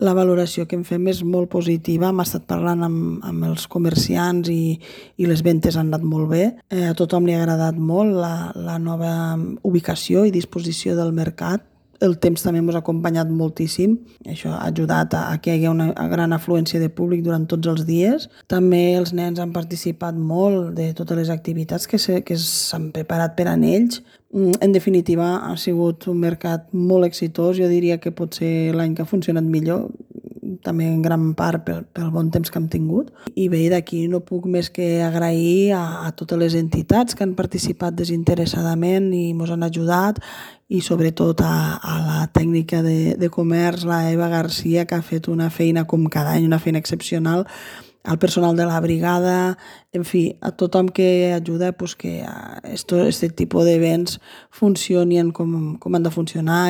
La valoració que en fem és molt positiva. Hem estat parlant amb els comerciants i les ventes han anat molt bé. A tothom li ha agradat molt la nova ubicació i disposició del mercat. El temps també ens ha acompanyat moltíssim. Això ha ajudat a que hi hagi una gran afluència de públic durant tots els dies. També els nens han participat molt de totes les activitats que s'han preparat per a ells. En definitiva, ha sigut un mercat molt exitós. Jo diria que pot ser l'any que ha funcionat millor, també en gran part pel bon temps que hem tingut. I bé, d'aquí no puc més que agrair a totes les entitats que han participat desinteressadament i ens han ajudat, i sobretot a la tècnica de comerç, la Eva Garcia, que ha fet una feina com cada any, una feina excepcional, al personal de la brigada, en fi, a tothom que ajuda que aquest tipus d'events funcionin com han de funcionar